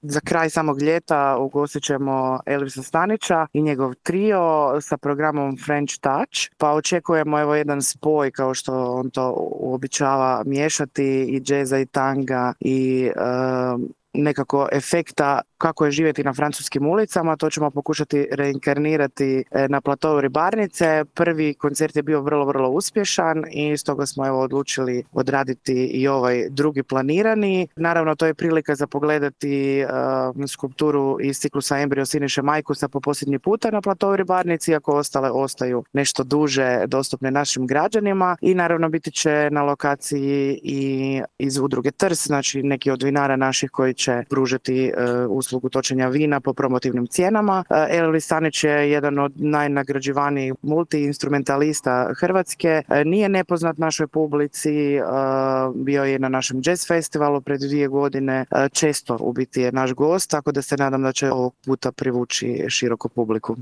Za kraj samog ljeta ugostit ćemo Elvisa Stanića i njegov trio sa programom French Touch, pa očekujemo evo jedan spoj kao što on to uobičava miješati i džeza i tanga i nekako efekta kako je živjeti na francuskim ulicama. To ćemo pokušati reinkarnirati na platovu Ribarnice. Prvi koncert je bio vrlo, vrlo uspješan i stoga smo evo odlučili odraditi i ovaj drugi planirani. Naravno, to je prilika za pogledati skulpturu iz ciklusa Embrio Siniše Majkusa po posljednji puta na platovu Ribarnici, iako ostale ostaju nešto duže dostupne našim građanima. I naravno biti će na lokaciji i iz udruge Trst, znači neki od vinara naših koji će pružati uslugu točenja vina po promotivnim cijenama. Elvis Stanić je jedan od najnagrađivanijih multi-instrumentalista Hrvatske. Nije nepoznat našoj publici, bio je na našem jazz festivalu pred 2 godine. Često u biti je naš gost, tako da se nadam da će ovog puta privući široku publiku.